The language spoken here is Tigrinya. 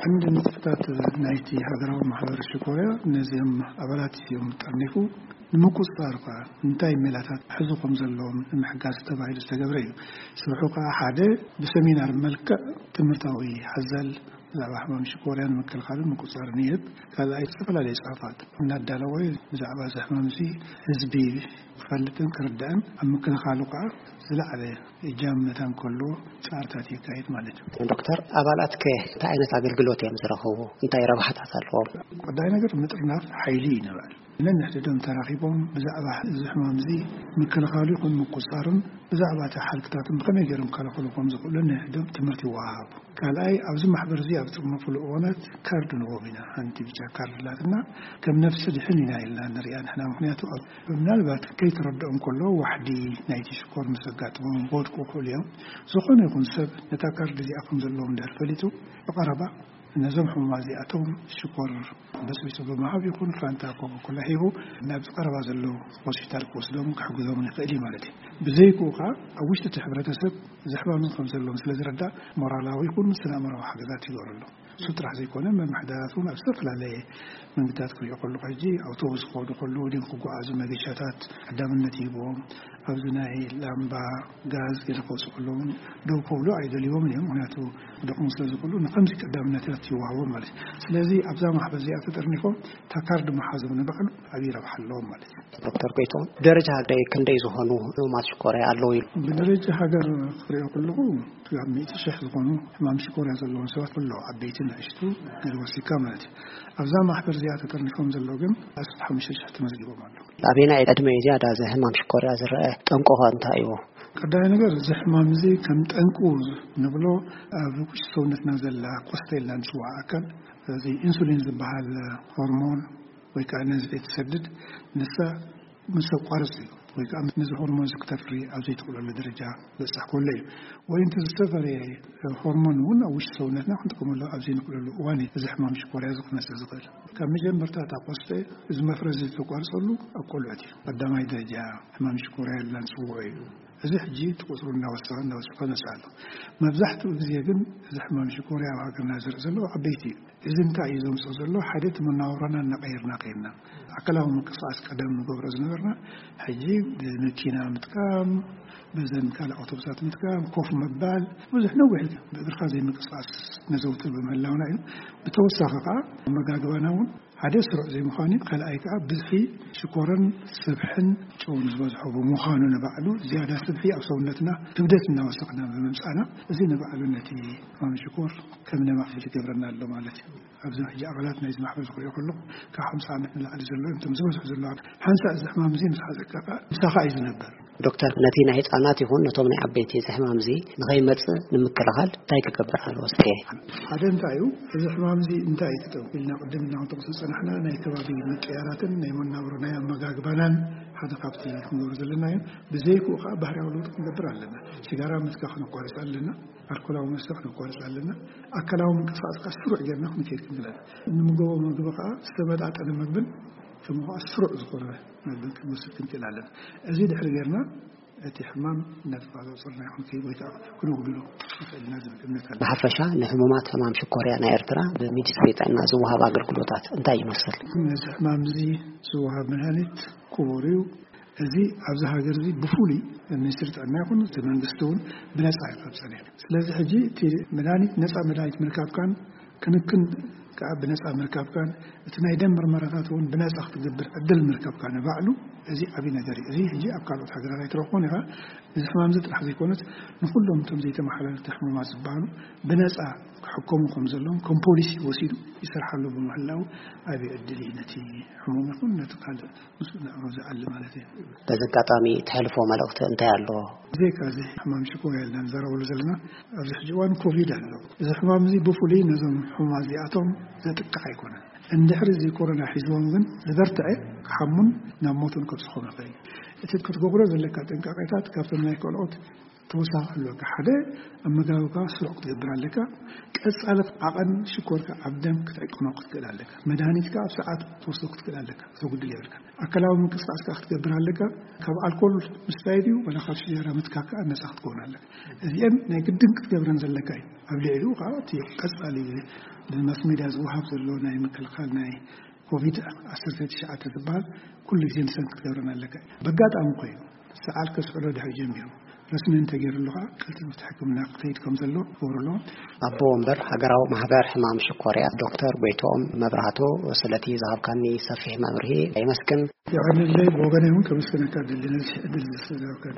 ቀንዲ ንጥፈታት ናይቲ ሃገራዊ ማሕበር ሽኮርያ ነዚኦም ኣባላት እዮም ጠርኒፉ። ንምቁፅፃር ከ እንታይ ሜላታት ሕዙ ከም ዘለዎም ንምሕጋዝ ተባሂሉ ዝተገብረ እዩ። ስርሑ ከዓ ሓደ ብሰሚናር መልክዕ ትምህርታዊ ሓዘል ብዛዕባ ሕማም ሽኮርያ ንምክልኻልን ምቁፅፃርን ይህብ። ካልኣይ ዝተፈላለዩ ፅሑፋት እናዳለወ ብዛዕባ እዚ ሕማም እዚ ህዝቢ ክፈልጥን ክርዳእን ኣብ ምክልኻሉ ከዓ ዝለዓለ እጃም መታን ከሎ ፃርታት የካየድ ማለት እዩ። ዶክተር፣ ኣባላት ከ እንታይ ዓይነት ኣገልግሎት እዮም ዝረኸቡ? እንታይ ረብሓታት ኣለዎም? ቀዳይ ነገር ምጥርናፍ ሓይሊ እዩ ንብል። ነንሕድዶም ተራኺቦም ብዛዕባ እዚ ሕማም እዚ ምክልኻሉ ይኹን ምቁፃርን ብዛዕባ እቲ ሓልክታትን ብኸመይ ገይሮም ከለኸሉ ከም ዝኽእሉ ነንሕዶም ትምህርቲ ይወሃሃቡ። ካልኣይ ኣብዚ ማሕበር እዚ ኣብ ዝጥርነፍሉ እዋናት ካርድ ንቦም ኢና። ሓንቲ ብጫ ካርድ ኣላትና፣ ከም ነፍሲ ድሕን ኢና ኢልና ንሪኣ ንሕና። ምክንያቱ ኣብ ምናልባት ከይተረድኦም ከሎ ዋሕዲ ናይቲ ሽኮር ምስ ኣጋጥሞም ክወድቁ ይኽእሉ እዮም። ዝኾነ ይኹን ሰብ ነታ ካርድ እዚኣ ከም ዘለዎም እንድሕር ፈሊጡ ብቐረባ ነዞም ሕሙማት እዚኣቶም ሽኮር በስቢሱ ብምሃብ ይኹን ፋንታ ኮካኮላ ሂቡ ናብ ዝቐረባ ዘሎ ሆስፒታል ክወስዶም ክሕግዞም ይኽእል እዩ ማለት እዩ። ብዘይክኡ ከዓ ኣብ ውሽጢ እቲ ሕብረተሰብ እዚ ሕማም ከም ዘለዎም ስለ ዝረዳእ ሞራላዊ ይኹን ስነ ኣእምራዊ ሓገዛት ይገብረሎም። እሱ ጥራሕ ዘይኮነ መምሕዳራት እውን ኣብ ዝተፈላለየ መንገድታት ክሪኦ ከለኹ ሕጂ ኣውቶቡስ ክኸዱ ከለዉ ድም ክጓዓዙ መገሻታት ቀዳምነት ይህብዎም። ኣብዚ ናይ ላምባ ጋዝ ገለ ክወፁ ከለዉ እውን ደው ከብሉ ኣይደልይዎም እዮም። ምክንያቱ ክደኽሙ ስለ ዝኽእሉ ንከምዚ ቀዳምነታት ይወሃቦም ማለት እዩ። ስለዚ ኣብዛ ማሕበር እዚኣ ተጠርኒፎም እታ ካርድ መሓዞም ንባዕሉ ዓብዪ ረብሓ ኣለዎም ማለት እዩ። ዶክተር ጎይቶም፣ ደረጃ ሃገር ክንደይ ዝኾኑ ሕሙማት ሽኮርያ ኣለዉ ኢሉ? ብደረጃ ሃገር ክሪኦ ከለኹ ካብ ሚእቲ ሽሕ ዝኾኑ ሕማም ሽኮርያ ዘለዎም ሰባት ኣለዉ፣ ዓበይቲ ንእሽቱ ገለ ወሲድካ ማለት እዩ። ኣብዛ ማሕበር እዚኣ ተጠርኒፎም ዘለዉ ግን ኣስታት ሓሙሽተ ሽሕ ተመዝጊቦም ኣለዉ። ኣበየናይ ዕድመ እዩ ዝያዳ እዚ ሕማም ሽኮርያ ዝረአ? ጠንቁ ኸ እንታይ እዩ? ቀዳማይ ነገር እዚ ሕማም እዚ ከም ጠንቁ ንብሎ ኣብ ውሽጢ ሰውነትና ዘላ ቆስተ ኢልና ንፅውዓ ኣካል፣ እዚ ኢንሱሊን ዝበሃል ሆርሞን ወይ ከዓ ነዚ ትሰድድ ንሳ ምስ ኣቋርፅ እዩ ወይ ከዓ ነዚ ሆርሞን እዚ ክተፍሪ ኣብ ዘይትኽእለሉ ደረጃ በፅሕ ከሎ እዩ። ወይ እንተ ዝተፈረየ ሆርሞን እውን ኣብ ውሽጢ ሰውነትና ክንጥቀመሉ ኣብ ዘይንኽእለሉ እዋን እዩ እዚ ሕማም ሽኮርያ እዚ ክመፅእ ዝኽእል። ካብ መጀመርታ እታ ቆስተ እዚ መፍረዚ ዝተቋርፀሉ ኣብ ቆልዑት እዩ። ቀዳማይ ደረጃ ሕማም ሽኮርያ ኢልና ንፅውዖ እዩ። እዚ ሕጂ እቲ ቁፅሩ እናወሰኸ እናወሰኸ ይመፅእ ኣሎ። መብዛሕትኡ ግዜ ግን እዚ ሕማም ሽኮርያ ኣብ ሃገርና ዝርኢ ዘሎ ኣብ ዓበይቲ እዩ። እዚ እንታይ እዩ ዘምፅኦ ዘሎ? ሓደ እቲ መነባብሮና እናቐየርና ከይድና፣ ኣካላዊ ምንቅስቃስ ቀደም ንገብሮ ዝነበርና ሕጂ ብመኪና ምጥቃም፣ በዘን ካልእ ኣውቶቡሳት ምጥቃም፣ ኮፍ ምባል፣ ብዙሕ ነዊሕ ብእግርካ ዘይምንቅስቃስ ነዘውትር ብምህላውና እዩ። ብተወሳኺ ከዓ ኣመጋግባና እውን ሓደ ስሩዕ ዘይምዃኑ እዩ። ካልኣይ ከዓ ብዝሒ ሽኮርን ስብሕን ጨውን ዝበዝሖ ብምዃኑ ንባዕሉ ዝያዳ ስብሒ ኣብ ሰውነትና ክብደት እናወሰኽና ብምምፃና እዚ ንባዕሉ ነቲ ሕማም ሽኮር ከም ነማዕብል ይገብረና ኣሎ ማለት እዩ። ኣብዞም ሕጂ ኣባላት ናይዚ ማሕበር ዝኽሪኦ ከለኹ ካብ ሓምሳ ዓመት ንላዕሊ ዘሎ እዮም እቶም ዝበዝሑ ዘለዉ። ሓንሳእ እዚ ሕማም እዚ ምስ ሓዘካ ከዓ ምሳኻ እዩ ዝነበር። ዶክተር፣ ነቲ ናይ ህፃናት ይኹን ነቶም ናይ ዓበይቲ እዚ ሕማም እዚ ንኸይመፅእ ንምክልኻል እንታይ ክገብር ኣለዎ? እስከ ሓደ እንታይ እዩ፣ እዚ ሕማም እዚ እንታይ እዩ ክጠው ኢልና ቅድም እናንተቑ ዝፀናሕና ናይ ከባቢ ምቅያራትን ናይ መናብሮ ናይ ኣመጋግባናን ሓደ ካብቲ ክንገብሮ ዘለና እዩ። ብዘይክኡ ከዓ ባህርያዊ ለውጢ ክንገብር ኣለና። ሲጋራ ምትካ ክነቋርፅ ኣለና። ኣልኮላዊ መስተ ክነቋርፅ ኣለና። ኣካላዊ ምንቅስቃስ ከዓ ስሩዕ ጌርና ክንከይድ ክንክእል ኣለና። እንምገቦ ምግቢ ከዓ ዝተመጣጠነ ምግብን ከምኡ ከዓ ስሩዕ ዝኾነ ምግብን ክንወስድ ክንክእል ኣለና። እዚ ድሕሪ ጌርና እቲ ሕማም እናተቆፃፀርና ይኹን ከይድ ወይ ከዓ ክነጉድሎ ንኽእል ኢና ዝብል እምነት ኣሎ። ብሓፈሻ ንሕሙማት ሕማም ሽኮርያ ናይ ኤርትራ ብሚኒስትሪ ጥዕና ዝወሃብ ኣገልግሎታት እንታይ ይመስል? ነዚ ሕማም እዚ ዝወሃብ መድሃኒት ክቡር እዩ። እዚ ኣብዚ ሃገር እዚ ብፍሉይ ሚኒስትሪ ጥዕና ይኹን እቲ መንግስቲ እውን ብነፃ እዩ ካብ ፀኒሑ። ስለዚ ሕጂ እቲ መድሃኒት ነፃ መድሃኒት ምርካብካን ክንክን ከዓ ብነፃ ምርካብካን እቲ ናይ ደም ምርመራታት እውን ብነፃ ክትገብር ዕድል ምርካብካ ንባዕሉ እዚ ዓብዪ ነገር እዩ። እዚ ሕጂ ኣብ ካልኦት ሃገራት ኣይትረኽቦን ኢኻ። እዚ ሕማም እዚ ጥራሕ ዘይኮነስ ንኩሎም እቶም ዘይተመሓላለፍቲ ሕሙማት ዝበሃሉ ብነፃ ክሕከሙ ከም ዘለዎም ከም ፖሊሲ ወሲዱ ይሰርሓሉ ብምህላው ዓብዪ ዕድል እዩ ነቲ ሕሙም ይኹን ነቲ ካልእ ምስኡ ንዕሮ ዝኣሊ ማለት እዩ። በዚ ኣጋጣሚ ትሕልፎ መልእኽቲ እንታይ ኣሎ? ብዘይካ እዚ ሕማም ሽኮር ያልና ንዛረበሉ ዘለና ኣብዚ ሕጂ እዋን ኮቪድ ኣሎ። እዚ ሕማም እዚ ብፍሉይ ነዞም ሕሙማት እዚኣቶም ዘጥቅዕ ኣይኮነን። እንድሕሪ እዚ ኮሮና ሒዝዎም ግን ዝበርትዐ ክሓሙን ናብ ሞትን ከብፅሖም ይኽእል እዩ። እቲ ክትገብሮ ዘለካ ጥንቃቄታት ካብቶም ናይ ካልኦት ተወሳኺ ኣለካ። ሓደ፣ ኣመጋግባኻ ስሩዕ ክትገብር ኣለካ። ቀጻሊ ዓቐን ሽኮርካ ኣብ ደም ክትዕቅኖ ክትክእል ኣለካ። መድሃኒትካ ኣብ ሰዓት ክትወስዶ ክትክእል ኣለካ። ዘጉድል የብልካ። ኣካላዊ ምንቅስቃስ ከዓ ክትገብር ኣለካ። ካብ ኣልኮል ምስታይ ድዩ ወላ ካብ ሽጀራ ምትካክ ከዓ ነፃ ክትከውን ኣለካ። እዚአን ናይ ግድን ክትገብረን ዘለካ እዩ። ኣብ ልዕሊኡ ከዓ እቲ ቀጻሊ ብማስ ሜድያ ዝወሃብ ዘሎ ናይ ምክልኻል ናይ ኮቪድ ዓሰርተ ትሽዓተ ዝበሃል ኩሉ ግዜ ንሰን ክትገብረን ኣለካ። በጋጣሚ ኮይኑ ሰዓል ከስዕሎ ድሕሪ ጀሚሩ ረስሚ እንተገይሩሉ ከዓ ቀልጢፉ እቲ ሕክምና ክትከይድ ከም ዘሎ ክገብሩ ኣለዎ። ኣቦ ወንበር ሃገራዊ ማህበር ሕማም ሽኮርያ ዶክተር ጎይትኦም መብራህቱ፣ ስለቲ ዝሃብካኒ ሰፊሕ መብርሂ የመስግን። የቐንለይ ብወገነይ እውን ከመስግነካ ደሊ ነዚ ዕድል ስለዝሃብካኒ።